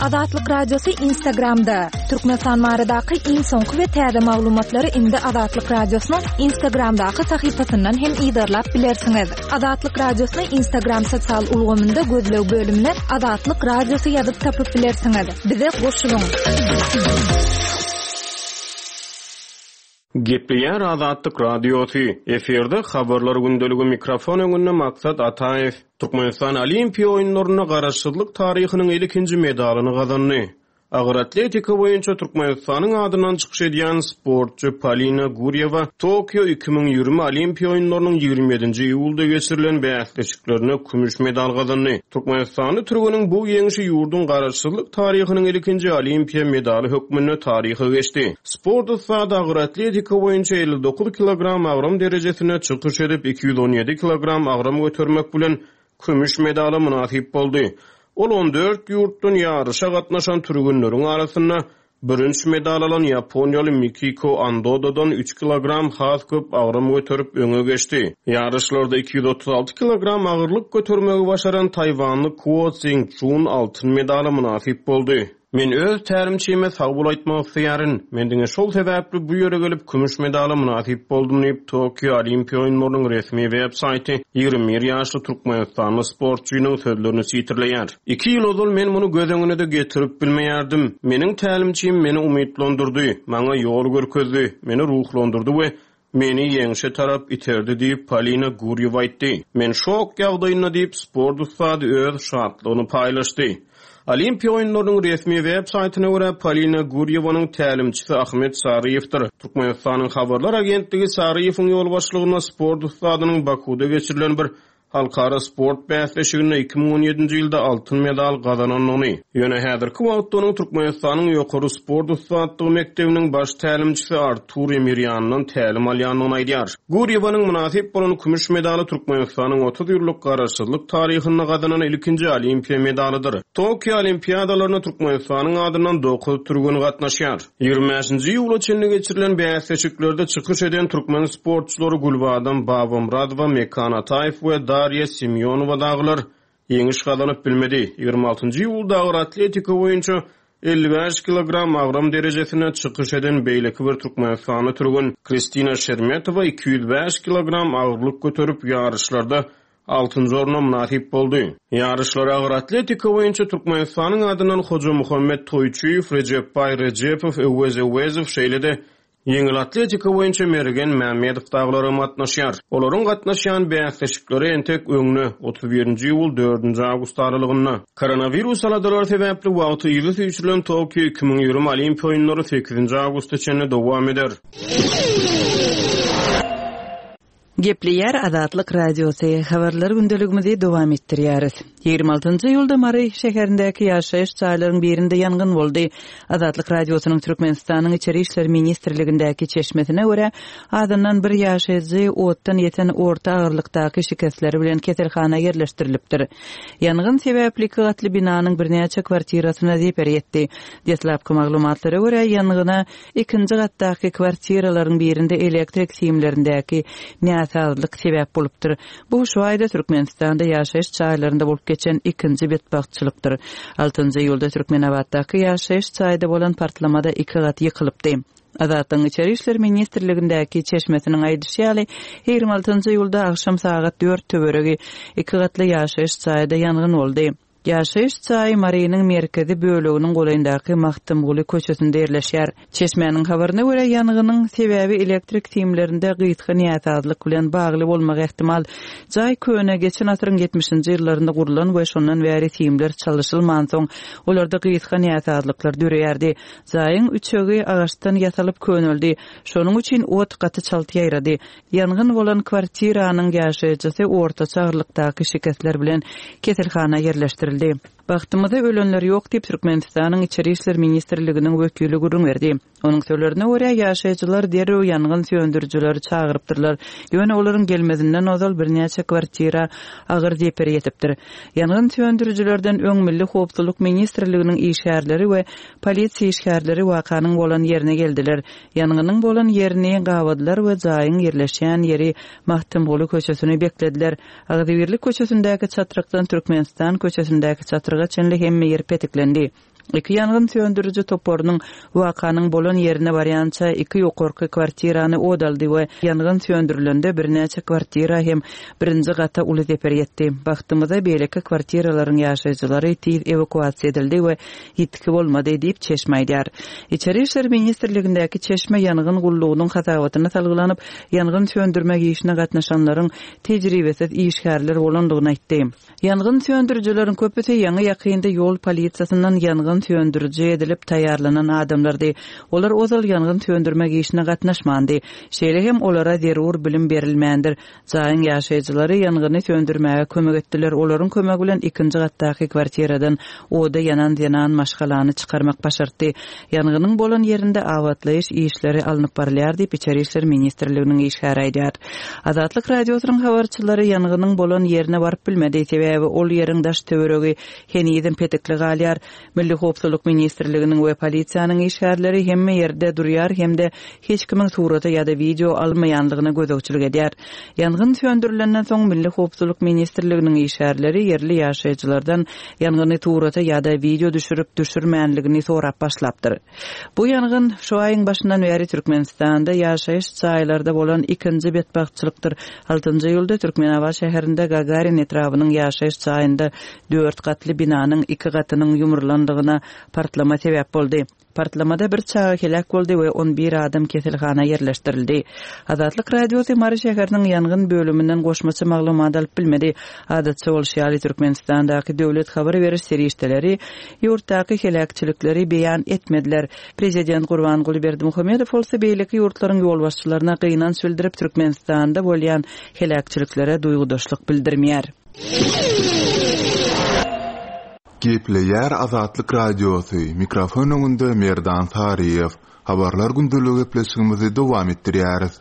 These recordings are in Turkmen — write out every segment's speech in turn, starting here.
Azatlyk Radiosy Instagramda! Türkmenistan baradaky iň soňky we täze maglumatlary indi Azatlyk Radiosynyň Instagramdaky sahypasyndan hem yzarlap bilersiňiz. Azatlyk Radiosyny Instagram sosial ulgamynda gözleg bölümine Azatlyk Radiosy ýazyp tapyp bilersiňiz. Bize goşulyň! Gepleýär Azatlyk Radiosy, efirde Habarlar gündeligi mikrofon öňünde Maksat Ataýew. Türkmenistan Olimpiýa oýunlarynda garaşsyzlyk taryhynyň ilkinji medalyny gazandy. Agyr atletika boýunça Türkmenistanyň adyndan çykyş edýän sportçy Polina Gurýewa Tokio 2020 Olimpiýa oýunlarynyň 27-nji iýulda geçirilen bäsleşiklerinde kümüş medal gazandy. Türkmenistanly türgeniň bu ýeňşi ýurduň garaşsyzlyk taryhynyň ilkinji olimpiýa medaly hökmünde taryha geçdi. Sport ussady agyr atletika boýunça 59 kilogram agram derejesinde çykyş edip, 217 kilogram agram götermek bilen kümüş medala mynasyp boldy. Ol on dört ýurtdan ýaryşa gatnaşan türgenleriň arasynda bürünç medal alan ýaponiýaly Mikiko Andodadan üç kilogram has köp agram göterip öňe geçdi. Ýaryşlarda 236 kilogram agyrlyk götermegi başaran taýwanly Kuo Tsing Çžun altyn medala mynasyp boldy. Men öz tälimçime sag bol aýtmak isleýärin. Men diňe şol sebäpli bu ýere gelip, kümüş medala mynasyp boldum diýip, Tokio Olimpiýa oýunlarynyň resmi web saýty 21 ýaşly türkmenistanly sportçynyň sözlerini sitirleýär. Iki ýyl ozal men muny göz öňüne-de getirip bilmeýärdim. Meniň tälimçim meni umytlandyrdy, maňa ýol görkezdi, meni ruhlandyrdy we Meni ýeňşe tarap iterdi diýip, Polina Gurýewa aýtdy. Men şok ýagdaýynda diýip, sport ussady öz şatlygyny paýlaşdy. Olimpiýa oýunlarynyň resmi web saýtyna görä, Polina Gurýewanyň tälimçisi Ahmet Saryýewdir. Türkmenistanyň habarlar agentligi Saryýewiň ýolbaşçylygynda sport ussadynyň Bakuda geçirilen bir Halkara sport bäsleşiginde 2017-nji ýylda altyn medal gazanandygyny, ýöne häzirki wagtda onuň Türkmenistanyň ýokary sport ussatlygy mekdebiniň baş tälimçisi Artur Emirýandan tälim alýandygyny aýdýar. Gurýewanyň mynasyp bolan kümüş medaly Türkmenistanyň 30 ýyllyk Garaşsyzlyk taryhynda gazanan ilkinji olimpiýa medalydyr. Tokio Olimpiadalaryna Türkmenistanyň adyndan dokuz türgen gatnaşýar. 25-nji iýula çenli geçirilen bäsleşiklerde çykyş eden türkmen sportçulary Gülbadam Babamyradowa, Mekan Ataýew we Darýa Semýonowa dagylar ýeňiş gazanyp bilmedi. 26-njy iýulda agyr atletika boýunça 55 kilogram agram derejesinde çykyş eden beýleki bir türkmenistanly türgen Kristina Şermetowa 205 kilogram agyrlyk göterip, ýaryşlarda altynjy orna mynasyp boldy. Ýaryşlara agyr atletika boýunça Türkmenistanyň adyndan Hojamuhammet Toýçyýew, Rejepbaý Rejepow, Öwez Öwezow, şeýle-de ýeňil atletika boýunça Mergen Mämmedow dagylaram gatnaşýar. Olaryň gatnaşýan bäsleşikleri entek öňde, 31-nji iýul, dördünji awgust aralygynda. Koronawirus aladalary sebäpli wagty yza süýşürilen Tokio 2020 Olimpiýa oýunlary sekizinji awgusta çenli dowam eder. Gepleýär Azatlyk Radiosy, Habarlar gündeligimizi dowam etdirýäris. 26-njy iýulda Mary şäherindäki ýaşaýyş jaýlaryň birinde ýangyn boldy. Azatlyk Radiosynyň Türkmenistanyň Içeri işler ministrligindäki çeşmesine görä, azyndan bir ýaşaýjy otdan ýeten orta agyrlykdaky şikesleri bilen keselhana ýerleşdirilipdir. Ýangyn sebäpli iki gatly binanyň birnäçe kwartirasyna zeper ýetdi. Deslapky maglumatlara görä, ýangyna Ikinji gatdaky kwartiralaryň birinde elektrik simlerindäki näsazlyk sebäp bolupdyr. Bu şu aýda Türkmenistanda ýaşaýyş jaýlarynda bolup geçen ikinji betbagtçylykdyr. Altynjy iýulda Türkmenabatdaky ýaşaýyş jaýda bolan partlamada iki gat ýykylypdy. Azatlygyň Içeri işler ministrligindäki çeşmesiniň aýdyşy ýaly, 26 iýulda agşam sagat dört töweregi iki gatly ýaşaýyş jaýda ýangyn boldy. Ýaşaýyş jaýy Marynyň merkezi böleginiň golaýyndaky Magtymguly köçesinde ýerleşýär. Çeşmäniň habaryna görä, ýangynyň sebäbi elektrik simlerinde gysga näsazlyk bilen bagly bolmagy ähtimal. Jaý köne, geçen asyryň ýetmişinji ýyllarynda gurlan we şondan bäri simler çalyşylmansoň, olarda gysga näsazlyklar döreýärdi. Jaýyň üçegi agaçdan ýasalyp köneldi. Şonuň üçin ot gaty çalt ýaýrady. Ýangyn bolan kwartiranyň ýaşaýjysy ortaça agyrlykdaky şikesler bilen keselhana ýerleşdirildi. Bagtymyza ölenler ýok diýip, Türkmenistanyň Içeri işler ministrliginiň wekili gürrüň berdi. Onuň sözlerine görä, ýaşaýjylar derrew ýangyn söndürijileri çagyrypdyrlar. Ýöne olaryň gelmezinden ozal birnäçe kwartira agyr zeper ýetipdir. Ýangyn söndürijilerden öň Milli howpsuzlyk ministrliginiň işgärleri we polisiýa işgärleri wakanyň bolan ýerine geldiler. Ýangynyň bolan ýerini gabadylar we jaýyň ýerleşýän ýeri Magtymguly köçesini beklediler. Agzybirlik köçesindäki çatrykdan Türkmenistan köçesindäki çatryga çenli hemme ýer petiklendi. Iki ýangyn söndüriji toparynyň wakanyň bolan ýerine barýança iki ýokarky kwartirany ot aldy we ýangyn söndürilende birnäçe kwartira hem birinji gata uly zeper ýetdi. Bagtymyza beýleki kwartiralaryň ýaşaýjylary tiz ewakuasiýa edildi we ýitgi bolmady diýip, çeşme aýdýar. Içeri işler ministrligindäki çeşme ýangyn gullugynyň hasabatyna salgylanyp, ýangyn söndürmek işine gatnaşanlaryň tejribesiz işgärler bolandygyny aýtdy. Ýangyn söndürijileriň köpüsi ýaňy-ýakynda ýol polisiýasyndan ýangyn söndüriji edilip taýýarlanan adamlardy. Olar ozal ýangyn söndürmek işine gatnaşmandy. Şeýle hem olara zerur bilim berilmändir. Jaýyň ýaşaýjylary ýangyny söndürmäge kömek etdiler, olaryň kömegi bilen ikinji gatdaky kwartiradan oda ýanan zenan maşgalany çykarmak başartdy. Ýangynyň bolan ýerinde abatlaýyş işleri alnyp barylýar diýip, Içeri işler ministrliginiň işgäri aýdýar. Azatlyk Radiosynyň habarçylary ýangynyň bolan ýerine baryp bilmedi, sebäbi ol ýeriň daş-töweregi henizem petikli galýar. Milli howpsuzlyk ministrliginiň we polisiýanyň işgärleri hemme ýerde durýar hem-de hiç kimiň surata ýa-da wideo almaýanlygyna gözegçilik edýär. Ýangyn söndürilenden soň Milli howpsuzlyk ministrliginiň işgärleri ýerli ýaşaýjylardan ýangyny surata ýa-da wideo düşürip düşürmänligini sorap başlapdyr. Bu ýangyn şu aýyň başyndan bäri Türkmenistanda ýaşaýyş jaýlarda bolan ikinji betbagtçylykdyr. Altynjy iýulda Türkmenabat şäherinde Gagarin etrabynyň ýaşaýyş jaýynda dört gatly binanyň iki gatynyň ýumrulandygyna partlama sebäp boldy. Partlamada bir çaga heläk boldy we on bir adam keselhana ýerleşdirildi. Azatlyk Radiosy Mary şäheriniň ýangyn bölüminden goşmaça maglumat alyp bilmedi. Adatça bolşy ýaly, Türkmenistandaky döwlet habar beriş serişdeleri ýurtdaky heläkçilikleri beýan etmediler. Prezident Gurbanguly Berdimuhamedow bolsa beýleki ýurtlaryň ýolbaşçylaryna gynanç bildirip, Türkmenistanda bolýan heläkçiliklere duýgudaşlyk bildirmeýär. Gepleýär Azatlyk Radiosy, mikrofon öňünde Merdan Saryýew. Habarlar gündeligi gepleşigimizi dowam etdirýäris.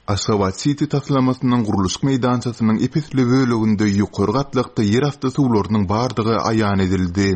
Aşgabat-siti taslamasynyň gurluşyk meýdançasynyň ep-esli böleginde ýokary gatlakda ýerasty suwlarynyň bardygy aýan edildi.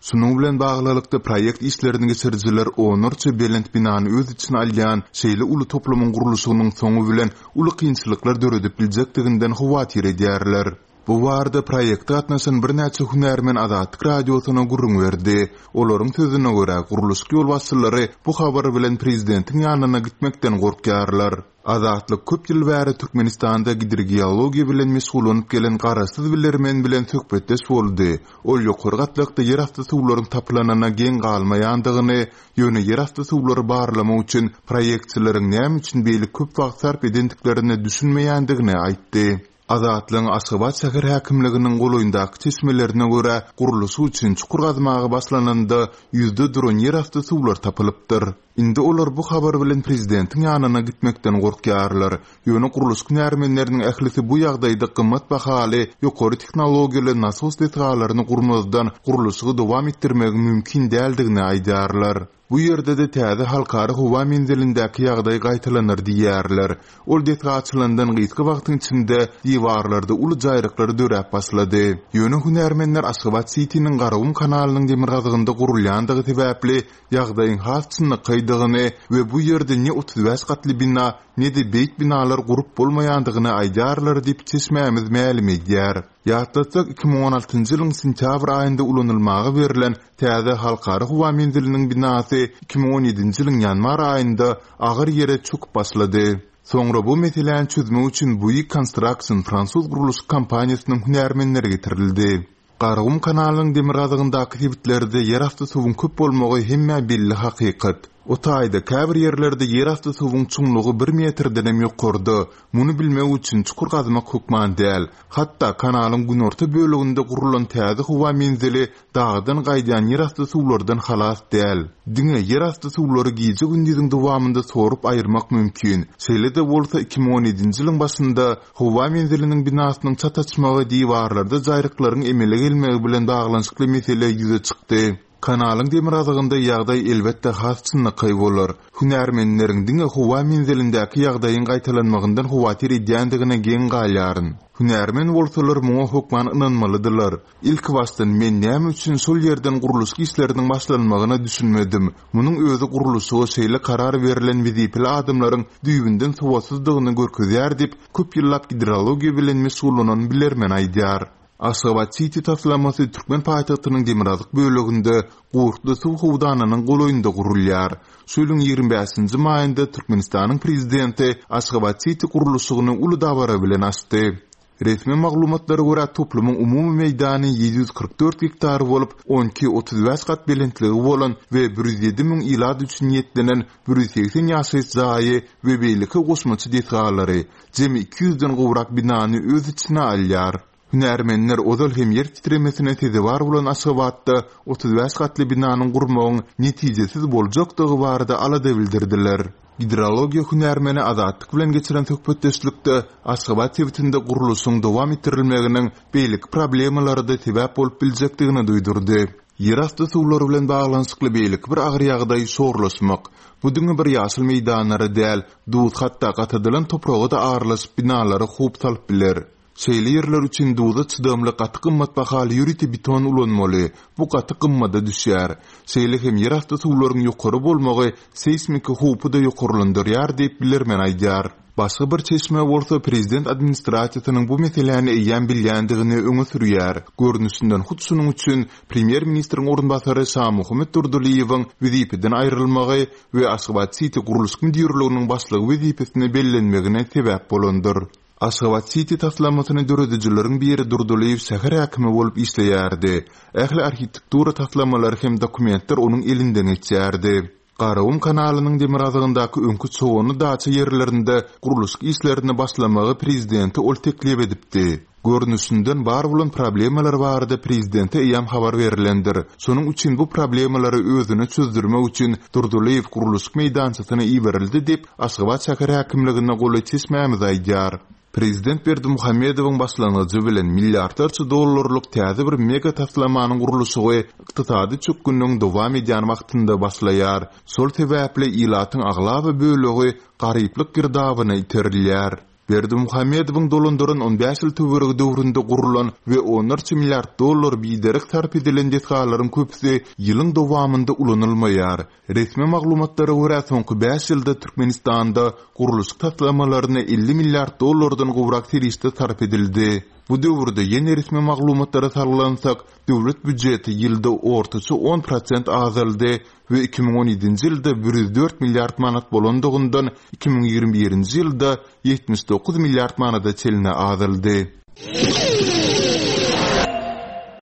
Şunuň bilen baglylykda, proýekt işlerini geçirijiler onlarça belent binany öz içine alýan şeýle uly toplumyň gurluşygynyň soňy bilen uly kynçylyklar döredip biljekdiginden howatyr edýärler. Bu barada proýekte gatnaşan birnäçe hünärmen Azatlyk Radiosyna gürrüň berdi. Olaryň sözüne görä, gurluşyk ýolbaşçylary bu habar bilen prezidentiň ýanyna gitmekden gorkýarlar. Azatlyk köp ýyl bäri Türkmenistanda gidrogeologiýa bilen meşgullanyp gelen garaşsyz bilermen bilen söhbetdeş boldy. Ol ýokary gatlakda ýerasty suwlaryň tapylanyna geň galmaýandygyny, ýöne ýerasty suwlary barlamak üçin proýektçileriň näme üçin beýle köp wagt sarp edendiklerine düşünmeýändigini aýtdy. Azatlygyň Aşgabat şäher häkimliginiň golaýyndaky çeşmelerine görä, gurluşyk üçin çukur gazmaga başlananda, ýüzde duran ýerasty suwlar tapylypdyr. Indi olar bu habar bilen prezidentiň ýanyna gitmekden gorkýarlar. Ýöne gurluşyk hünärmenleriniň ählisi bu ýagdaýda gymmat bahaly, ýokary tehnologiýaly nasos desgalaryny gurmazdan gurluşygy dowam etdirmegiň mümkin däldigini aýdýarlar. Bu ýerde-de täze halkara howa menzilindäki ýagdaý gaýtalanar diýýärler. Ol desga açylandan gysga wagtyň içinde diwarlarda uly jaýryklar döräp başlady. Ýöne hünärmenler Aşgabat-sitiniň Garagum kanalynyň demirgazygynda gurulýandygy sebäpli ýagdaýyň has çynlakaýdygyny we bu ýerde ne 35 gatly bina, ne-de beýik binalar gurup bolmaýandygyny aýdýarlar diýip, çeşmämiz mälim edýär. Ýatlatsak, 2016-njy ýylyň sentýabr aýynda ulanylmaga berlen täze Halkara howa menziliniň binasy 2017-nji ýylyň ýanwar aýynda agyr ýere çöküp başlady. Soňra bu meseläni çözmek üçin Bouygues Construction fransuz gurluşyk kompaniýasynyň hünärmenleri getirildi. Garagum kanalynyň demirgazygyndaky sebitlerde ýerasty suwuň köp bolmagy hemmä belli hakykat. O taýda käbir ýerlerde ýerasty suwuň çuňlugy bir metrdenem ýokarda. Muny bilmek üçin çukur gazmak hökman däl. Hatda kanalyň günorta böleginde gurlan täze howa menzili dagdan gaýdýan ýerasty suwlardan halas däl. Diňe ýerasty suwlary gije-gündiziň dowamynda sorup aýyrmak mümkin. Şeýle-de bolsa, 2017-nji ýylyň başynda howa menziliniň binasynyň çat açmagy diwarlarda jaýryklaryň emele gelmegi bilen baglanyşykly mesele ýüze çykdy. Kanalyň demirgazygynda ýagdaý elbetde has çynlakaý bolar. Hünärmenleriň diňe howa menzilindäki ýagdaýyň gaýtalanmagyndan howatyr edýändigine geň galýaryn. Hünärmen bolsalar muňa hökman ynanmalydylar. Ilkibaşdan men näme üçin şol ýerden gurluşyk işleriniň başlanmagyna düşünmedim. Munuň özi gurluşyga şeýle karar berlen wezipeli adamlaryň düýbünden sowatsyzdygyny görkezýär diýip, köp ýyllap gidrologiýa bilen meşgullanan bilermen aýdýar. Aşgabat Siti taslamasy türkmen paýtagtynyň demirgazyk böleginde Gurtly suw howdanynyň golaýynda gurulýar. Şu ýylyň 25-nji maýynda Türkmenistanyň Prezidenti Aşgabat Siti gurluşygyny uly dabara bilen açdy. Resmi maglumatlara görä, toplumyň umumy meýdany 744 gektar bolup, on iki, 35 gat belentligi bolan we 107 müň ilat üçin niýetlenen 180 ýaşaýyş jaýy we beýleki goşmaça desgalary, jemi 200-den gowrak binany öz içine alýar. Hünärmenler ozal hem ýer titremesine sezewar bolan Aşgabatda 35 gatly binanyň gurmagyň netijesiz boljakdygy barada alada bildirdiler. Gidrologiýa hünärmeni Azatlyk bilen geçiren söhbetdeşlikde Aşgabat sebitinde gurluşygyň dowam etdirilmeginiň beýleki problemalara-da sebäp bolup biljekdigini duýdurdy. Ýerasty suwlary bilen baglanyşykly beýleki bir agyr ýagdaý şorlaşmak. Bu diňe bir ýaşyl meýdanlara däl, duz hatda gatadylan topraga-da aralaşyp binalara howp salyp biler. Şeýle ýerler üçin duza çydamly gaty gymmat bahaly ýörite beton ulanmaly, bu gaty gymmada düşýär. Şeýle hem ýerasty suwlaryň ýokary bolmagy seýsmiki howpy-da ýokarlandyrýar diýip, bilermen aýdýar. Başga bir çeşme bolsa prezident administrasiýasynyň bu meseläni eýýäm bilýändigini öňe sürýär. Görnüşinden hut şunuň üçin premýer-ministriň orunbasary Şamuhammet Durdylyýewiň wezipeden aýrylmagy we Aşgabat-siti gurluşyk müdirliginiň başlygy wezipesine bellenmegine sebäp bolandyr. Aşgabat-siti taslamasyny döredijileriň biri Durdylyýew şäher häkimi bolup işleýärdi. Ähli arhitektura taslamalary hem dokumentler onuň elinden geçýärdi. Garagum kanalynyň demirgazygyndaky öňki Çoganly daça ýerlerinde gurluşyk işlerini başlamagy prezidente ol teklip edipdi. Görnüşinden bar bolan problemalar barada prezidente eýýäm habar berlendir. Şonuň üçin bu problemalary özüne çözdürmek üçin Durdylyýew gurluşyk meýdançasyna iberildi diýip, Aşgabat şäher häkimligine golaý çeşmämiz aýdýar. Prezident Berdimuhamedowyň başlangyjy bilen milliardlarça dollarlyk täze bir mega taslamanyň gurluşygy ykdysady çökgünligiň dowam edýän wagtynda başlaýar. Şol sebäpli ilatyň aglaba bölegi garyplyk girdabyna iterilýär. Berdimuhamedowyň dolandyran on bäş ýyl töweregi döwründe gurlan we onlarça milliard dollar biderek sarp edilen desgalaryň köpüsi ýylyň dowamynda ulanylmaýar. Resmi maglumatlara görä, soňky bäş ýylda Türkmenistanda gurluşyk taslamalaryna 50 milliard dollardan gowrak serişde sarp edildi. Bu döwürde, ýene resmi maglumatlara salgylansak, döwlet býujeti ýylda ortaça on prosent azaldy we 2017-nji ýylda 104 milliard manat bolandygyndan 2021-nji ýylda 79 milliard manada çenli azaldy.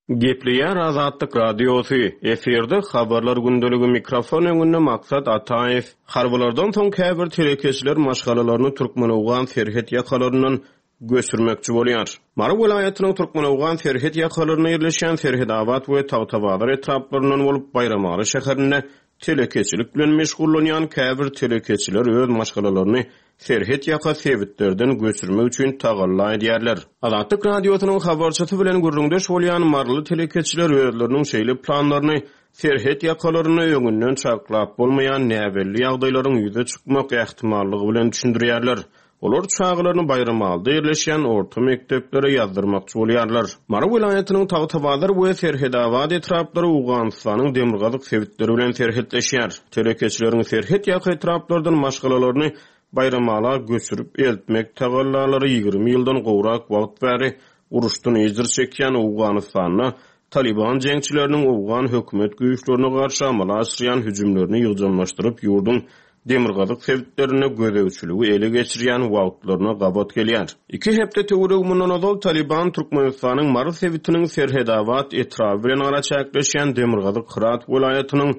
Gepleýär Azatlyk Radiosy, efirde Habarlar gündeligi mikrofon öňünde Maksat Ataýew. Harbylardan soň käbir telekeçiler maşgalalaryny türkmen-owgan serhet ýakalaryndan göçürmekçi bolýar. Mary welaýatynyň türkmen-owgan serhet ýakalarynda ýerleşýän Serhedabat we Tagtabazar etraplaryndan bolup Baýramaly şäherinde telekeçilik bilen meşgullanýan käbir telekeçiler öz maşgalalaryny serhet ýaka sebitlerden göçürmek üçin tagalla edýärler. Azatlyk Radiosynyň habarçysy bilen gürrüňdeş bolýan maryly telekeçiler özleriniň şeýle planlaryny serhet ýakalarynda öňünden çaklap bolmaýan näbelli ýagdaýlaryň ýüze çykmak ähtimallygy bilen düşündirýärler. Olar çagalaryny Baýramalyda ýerleşýän orta mekdeplere ýazdyrmakçy bolýarlar. Mary welaýatynyň Tagtabazar we Serhedabat etraplary Owganystanyň demirgazyk sebitleri bilen serhetleşýär. Telekeçileriň serhet ýaka etraplardan maşgalalaryny Baýramala göçürip eltmek tagallalary 20 ýyldan gowrak wagt bäri uruşdan ejir çekýän Owganystanda Talyban jeňçileriniň owgan hökümet güýçlerine garşy amala aşyrýan hüjümlerini ýygjamlaşdyryp, ýurduň demirgazyk sebitlerinde gözegçiligi ele geçirýän wagtlaryna gabat gelýär. Iki hepde töweregi mundan ozal Talyban Türkmenistanyň Mary sebitiniň Serhedabat etraby bilen araçäkleşýän demirgazyk Hyrat welaýatynyň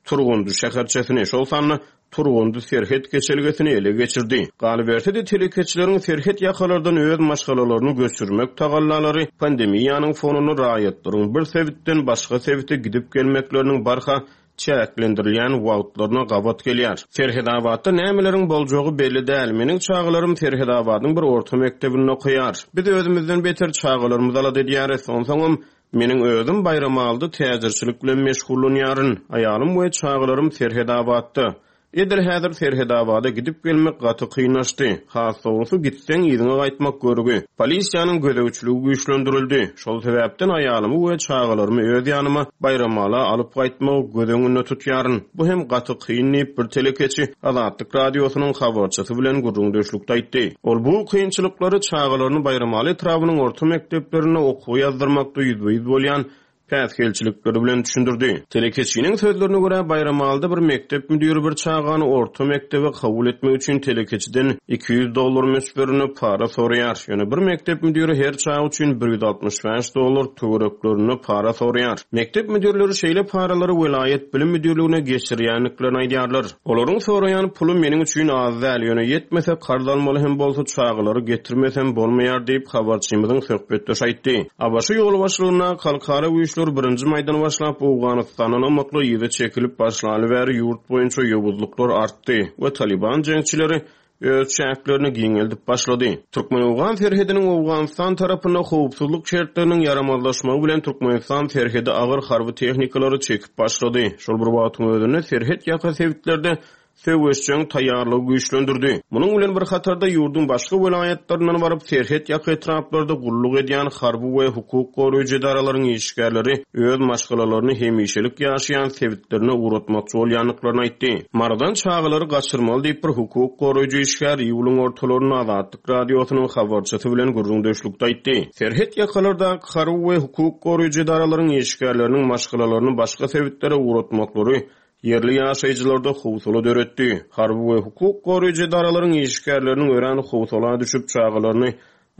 Turgundy şäherçesini, şol sanda Turgundy serhet geçelgesini ele geçirdi. Galyberse-de, telekeçileriň serhet ýakalardan öz maşgalalaryny göçürmek tagallalary pandemiýanyň fonunda raýatlaryň bir sebitden başga sebite gidip-gelmekleriniň barha çäklendirilýän wagtlaryna gabat gelýär. Serhedabatda nämeleriň boljagy belli däl. Meniň çagalarym Serhedabadyň bir orta mekdebinde okaýar. Biz özümizden beter çagalarymyzy alada edýäris. Onsoňam, Meniň özüm Baýramalyda täjirçilik bilen meşgullanýaryn. Aýalym we çagalarym Serhedabatda. Edil häzir Serhedabada gidip-gelmek gaty kynlaşdy. Has dogrusy, gitseň, yzyňa gaýtmak görgi. Polisiýanyň gözegçiligi güýçlendirildi. Şol sebäpden aýalymy we çagalarymy öz ýanyma, Baýramala alyp gaýtmagy göz öňünde tutýaryn. Bu hem gaty kyn diýip, bir telekeçi Azatlyk Radiosynyň habarçysy bilen gürrüňdeşlikde aýtdy. Ol bu kynçylyklary çagalaryny Baýramaly etrabynyň orta mekdeplerinde okuwa ýazdyrmakda ýüzbe-ýüz bolýan päsgelçilikleri bilen düşündirdi. Telekeçiniň sözlerine görä, Baýramalyda bir mekdep müdiri bir çagany orta mekdebe kabul etmek üçin telekeçiden 200 dollar möçberinde para soraýar. Ýöne bir mekdep müdiri her çaga üçin 165 dollar töwereklerinde para soraýar. Mekdep müdirleri şeýle paralary welaýat bilim müdirligine geçirýändiklerini aýdýarlar. Olaryň soraýan puly meniň üçin az däl, ýöne ýetmese karz almaly hem bolsa çagalary getirmesem bolmaýar diýip, habarçymyzyň söhbetdeşi aýtdy. ABŞ ýolbaşçylygyndaky halkara güýçler birinji maýdan başlap Owganystandan ymykly yza çekilip başlaly bäri ýurt boýunça ýowuzlyklar artdy we Talyban jeňçileri öz çäklerini giňeldip başlady. Türkmen-owgan serhediniň Owganystan tarapynda howpsuzlyk şertleriniň ýaramazlaşmagy bilen Türkmenistan serhede agyr harby tehnikalary çekip başlady. Şol bir wagtyň özünde serhet ýaka sebitlerde söweşjeň taýýarlygy güýçlendirdi. Munuň bilen bir hatarda ýurduň başga welaýatlaryndan baryp serhet ýaka etraplarda gulluk edýän harby we hukuk goraýjy edaralaryň işgärleri öz maşgalalaryny hemişelik ýaşaýan sebitlerine ugratmakçy bolýandyklaryny aýtdy. Marydan çagalary gaçyrmaly diýip, bir hukuk goraýjy işgär iýulyň ortalarynda Azatlyk Radiosynyň habarçysy bilen gürrüňdeşlikde aýtdy. Serhet ýakalardaky harby we hukuk goraýjy edaralaryň işgärleriniň maşgalalaryny başga sebitlere ugratmaklary ýerli ýaşaýjylarda howsala döretdi. Harby we hukuk goraýjy edaralaryň işgärleriniň örän howsala düşüp, çagalaryny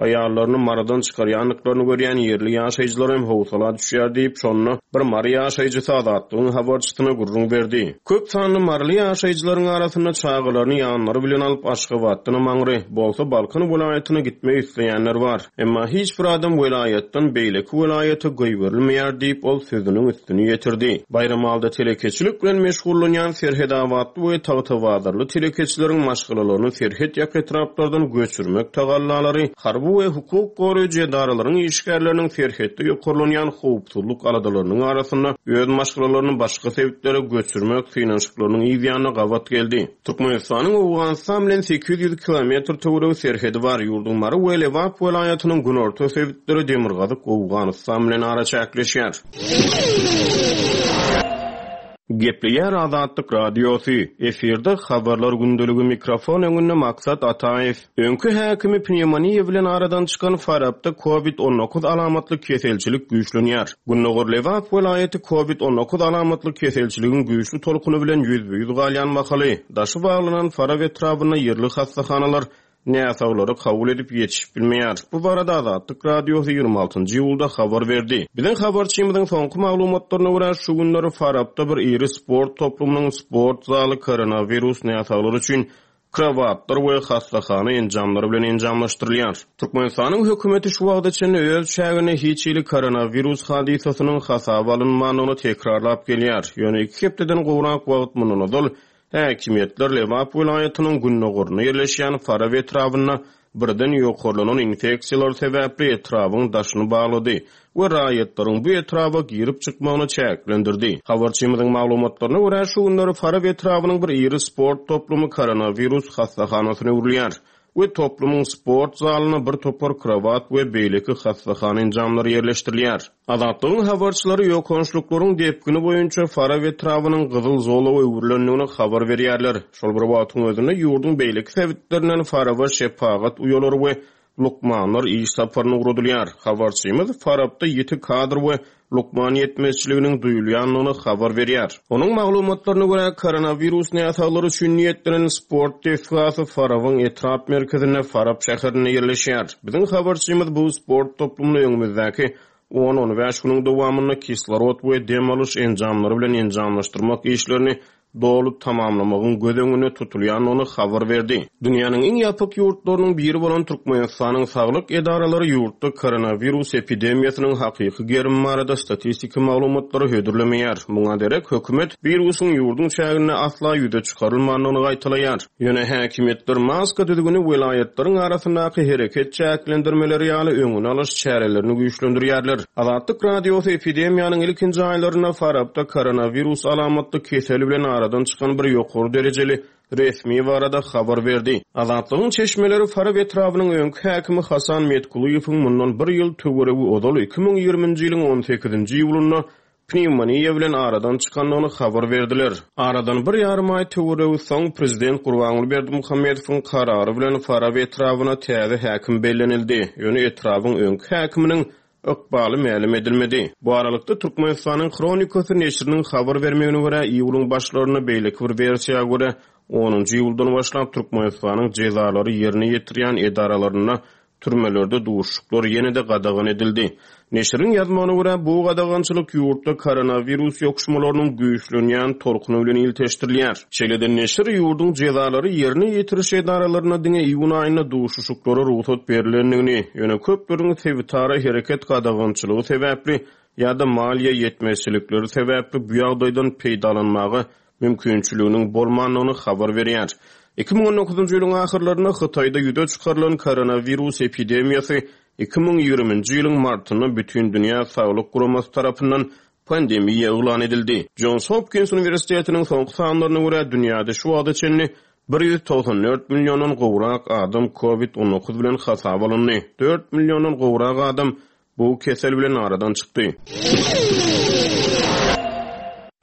Aýallaryny Marydan çykarýandyklaryny görýän ýerli ýaşaýjylar hem howsala düşýär diýip, şonda bir mary ýaşaýjysy Azatlygyň habarçysyna gürrüň berdi. Köp sanly maryly ýaşaýjylaryň arasynda çagalaryny ýanlary bilen alyp, Aşgabatdanam aňry, bolsa Balkan welaýatyna gitmek isleýänler bar. Emma hiç bir adam welaýatdan beýleki welaýata goýberilmeýär diýip, ol sözüniň üstüni ýetirdi. Baýramalyda telekeçilik bilen meşgullanýan serhetabatly we tagtabazarly telekeçileriň maşgalalaryny serhet ýaka etraplardan göçürmek tagallalary harby we hukuk goraýjy edaralaryň işgärleriniň serhetde ýokarlanýan howpsuzlyk aladalarynyň arasynda öz maşgalalaryny başga sebitlere göçürmek synanyşyklarynyň yz ýanyna gabat geldi. Türkmenistanyň Owganystan bilen 800 kilometr töweregi serhedi bar. Ýurduň Mary we Lebap welaýatynyň günorta sebitleri demirgazyk Owganystan bilen araçäkleşýär. Gepleýär Azatlyk Radiosy, efirde Habarlar gündeligi mikrofon öňünde Maksat Ataýew. Öňki häkimi pnewmoniýa bilen aradan çykan Farapda Covid 19 alamatly keselçilik güýçlenýär. Gündogar Lebap welaýaty Covid 19 alamatly keselçiligiň güýçli tolkuny bilen ýüzbe-ýüz galýan mahaly, daşy baglanan Farap etrabynda ýerli hassahanalar näsaglary kabul edip ýetişip bilmeýär. Bu barada Azatlyk Radiosy 26 njy iýulda habar berdi. Biziň habarçymyzyň soňky maglumatlaryna görä, şu günler Farapda bir iri sport toplumynyň sport zaly koronawirus näsaglary üçin krowatlar we hassahana enjamlary bilen enjamlaşdyrylýar. Türkmenistanyň hökümeti şu wagta çenli öz çäginde hiç hili koronawirus hadysasynyň hasaba alynmandygyny tekrarlap gelýär. Ýöne iki hepdeden gowrak wagt mundan ozal Häkimiýetler Lebap welaýatynyň gündogarynda ýerleşýän Farap etrabynda birden ýokarlanan infeksiýalar sebäpli etrabyň daşyny baglady we raýatlaryň bu etraba girip-çykmagyny çäklendirdi. Habarçymyzyň maglumatlaryna görä, şu günler Farap etrabynyň bir iri sport toplumy koronawirus hassahanasyna öwrülýär we toplumyň sport zalyna bir topar krowat we beýleki hassahana enjamlary ýerleşdirilýär. Azatlygyň habarçylary ýokançlyklaryň depgini boýunça Farap etrabynyň gyzyl zolaga öwrülendigini habar berýärler. Şol bir wagtyň özünde, ýurduň beýleki sebitlerinden Faraba şepagat uýalary we lukmanlar iş saparyna ugradylýar. Habarçymyz Farapda ýiti kadr we lukman ýetmezçiliginiň duýulýandygyny habar berýär. Onuň maglumatlaryna görä, koronawirus näsaglary üçin niýetlenen sport desgasy Farabyň etrap merkezinde, Farap şäherinde ýerleşýär. Biziň habarçymyz bu sport toplumyny öňümizdäki on-on bäş günüň dowamynda kislorod we dem alyş enjamlary bilen enjamlaşdyrmak işlerini doly tamamlamagyň göz öňünde tutulýandygyny habar berdi. Dünýäniň iň ýapyk ýurtlarynyň biri bolan Türkmenistanyň saglyk edaralary ýurtda koronawirus epidemiýasynyň hakyky gerimi barada statistiki maglumatlary hödürlemeýär. Muňa derek, hökümet wirusyň ýurduň çäginde asla ýüze çykarylmandygyny gaýtalaýar. Ýöne häkimiýetler maska düzgüni welaýatlaryň arasyndaky hereket çäklendirmeleri ýaly öňüni alyş çärelerini güýçlendirýärler. Azatlyk Radiosy epidemiýanyň ilkinji aýlarynda Farapda koronawirus alamatly kesel bilen aradan. aradan çykan bir ýokary derejeli resmi barada habar berdi. Azatlygyň çeşmeleri Farap etrabynyň öňki häkimi Hasan Metkulyýewiň mundan bir ýyl töweregi ozal, 2020-nji ýylyň on sekizinji iýulynda pnewmoniýa bilen aradan çykandygyny habar berdiler. Aradan bir ýarym aý töweregi soň, prezident Gurbanguly Berdimuhamedowyň karary bilen Farap etrabyna täze häkim bellenildi. Ýöne etrabyň öňki häkiminiň ykbaly mälim edilmedi. Bu aralykda, Türkmenistanyň Hronikasy neşiriniň habar bermegine görä, iýulyň başlarynda, beýleki bir wersiýa görä, onunjy iýuldan başlap Türkmenistanyň jezalary ýerine ýetirýän edaralarynda türmelerde duşuşyklar ýene-de gadagan edildi. Neşiriň ýazmagyna görä, bu gadagançylyk ýurtda koronawirus ýokuşmalarynyň güýçlenýän tolkuny bilen ilteşdirilýär. Şeýle-de neşir ýurduň jezalary ýerine ýetiriş edaralarynda diňe iýun aýynda duşuşyklara rugsat berlendigini, ýöne köpleriň sebitara hereket gadagançylygy sebäpli ýa-da maliýe ýetmezçilikleri sebäpli bu ýagdaýdan peýdalanmaga mümkinçiliginiň bolmandygyny habar berýär. 2019-njy ýylyň ahyrlarynda Hytaýda ýüze çykarylan koronawirus epidemiýasy 2020-nji ýylyň martynda Bütindünýä Saglyk Guramasy tarapyndan pandemiýa yglan edildi. Jons Hopkins uniwersitetiniň soňky sanlaryna görä, dünýäde şu wagta çenli 194 milliondan gowrak adam Covid 19 bilen hasaba alyndy, dört milliondan gowrak adam bu kesel bilen aradan çykdy.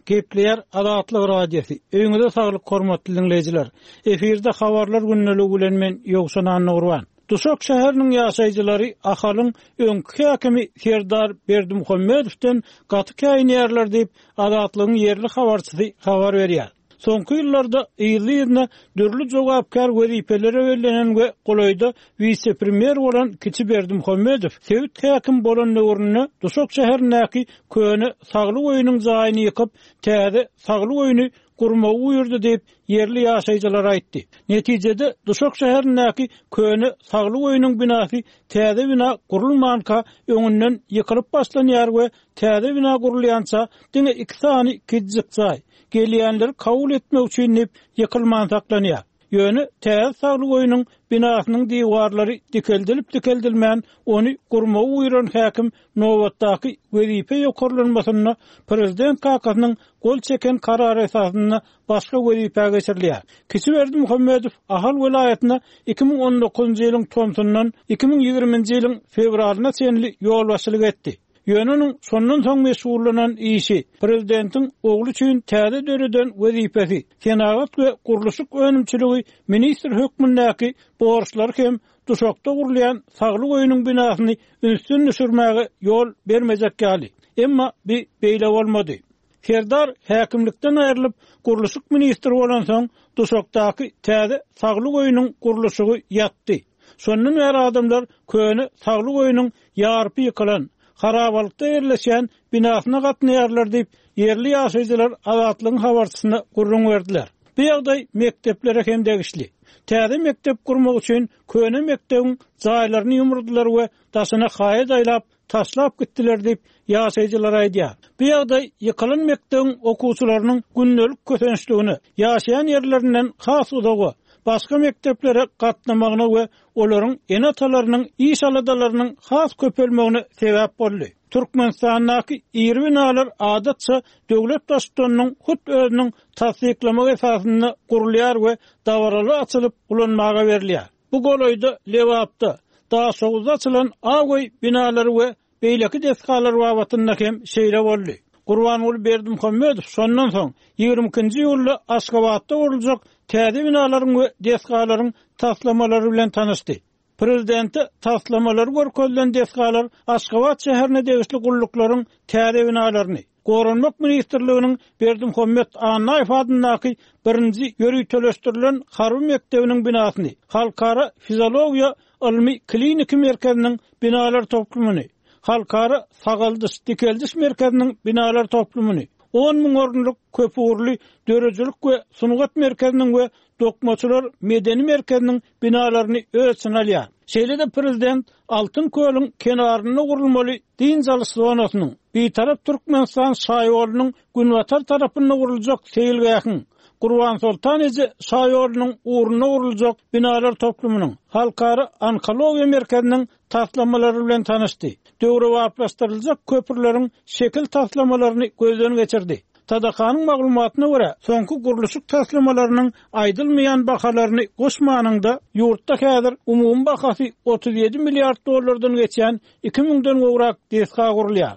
Gepleýär Azatlyk Radiosy. Öýüňize saglyk hormatly diňleýjiler. Efirde habarlar gündeligi bilen men Ýowşan Annagurban. Duşak şäheriniň ýaşaýjylary Ahalyň öňki häkimi Serdar Berdimuhamedowdan gaty käýinýärler diýip, Azatlygyň ýerli habarçysy habar berýär. Soňky ýyllarda yzly-yzyna dürli jogapkär wezipelere bellenen we golaýda wise-premýer bolan kiçi Berdimuhamedow sebit häkimi bolan döwründe Duşak şäherindäki köne Saglyk öýüniň jaýyny ýykyp, täze Saglyk öýüni gurmagy buýurdy diýip, ýerli ýaşaýjylar aýtdy. Netijede, Duşak şäherindäki köne Saglyk öýüniň binasy täze bina gurulmanka öňünden ýykylyp başlanýar we täze bina gurulýança diňe iki sany kiçijik jaý, gelýänleri kabul etmek üçin diýip, ýykylman saklanýar. Ýöne täze Saglyk öýüniň binasynyň diwarlary dikeldilip-dikeldilmän, ony gurmagy buýran häkim nobatdaky wezipe ýokarlanmasynda prezident kakasynyň gol çeken karary esasynda başga wezipä geçirilýär. Kiçi Berdimuhamedow Ahal welaýatyna 2019-njy ýylyň tomsundan 2020-nji ýylyň fewralyna çenli ýolbaşçylyk etdi. Ýöne onuň şondan soň meşgullanan işi, prezidentiň ogly üçin täze döreden wezipesi, senagat we gurluşyk önümçiligi ministri hökmündäki borçlary hem Duşakda gurulýan Saglyk öýüniň binasyny ünsden düşürmäge ýol bermejek ýaly. Emma bi beýle bolmady. Serdar häkimlikden aýrylyp, gurluşyk ministri bolansoň, Duşakdaky täze Saglyk öýüniň gurluşygy ýatdy. Şondan bäri adamlar köne Saglyk öýüniň ýarpy ýykylan, harabalykda ýerleşýän binasyna gatnaýarlar diýip, ýerli ýaşaýjylar Azatlygyň habarçysyna gürrüň berdiler. Bu ýagdaý mekdeplere hem degişli. Täze mekdep gurmak üçin köne mekdebiň jaýlaryny ýumurdylar we daşyna haýat aýlap, taşlap gitdiler diýip, ýaşaýjylar aýdýar. Bu ýagdaý ýykylan mekdebiň okuwçylarynyň gündelik kösençligine, ýaşaýan ýerlerinden has uzaga, başga mekdeplere gatnamagyna we olaryň ene-atalarynyň iş aladalarynyň has köpelmegine sebäp boldy. Türkmenistandaky iri binalar adatça döwlet baştutanynyň hut özüniň tassyklamagy esasynda gurulýar we dabaraly açylyp ulanmaga berilýär. Bu golaýda Lebapda, Daşoguzda açylan Ak öý binalary we beýleki desgalar babatynda hem şeýle boldy. Gurbanguly Berdimuhamedow şondan soň, ýigrimi ikinji iýulda Aşgabatda guruljak täze binalaryň we desgalaryň taslamalary bilen tanyşdy. Prezidente taslamalary görkezilen desgalar Aşgabat şäherine degişli gulluklaryň täze binalaryny, Goranmak ministrliginiň Berdimuhamet Annaýew adyndaky birinji ýöriteleşdirilen harby mekdebiniň binasyny, Halkara fiziologiýa ylmy-kliniki merkeziniň binalar toplumyny, Halkara sagaldyş-dikeldiş merkeziniň binalar toplumyny, on müň orunlyk köpugurly döredijilik we sungat merkeziniň we Dokmaçylar medeni merkeziniň binalaryny öz içine alýar. Şeýle-de prezident Altyn kölüň kenarynda gurulmaly dynç alyş zonasynyň, Bitarap Türkmenistan şaýolunyň günbatar tarapynda guruljak seýilgähiň, Gurbansoltan eje şaýolunyň ugrunda guruljak binalar toplumynyň, Halkara onkologiýa merkeziniň taslamalary bilen tanyşdy, döwrebaplaşdyryljak köprüleriň şekil taslamalaryny gözden geçirdi. TDH-nyň maglumatyna görä, soňky gurluşyk taslamalarynyň aýdylmaýan bahalaryny goşmanyňda, ýurtda häzir umumy bahasy 37 milliard dollardan geçýän iki müňden gowrak desga gurulýar.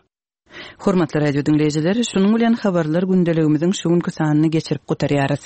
Hormatly radio diňleýjiler, şunuň bilen Habarlar gündeligimiziň şu günki sanyny geçirip gutarýarys.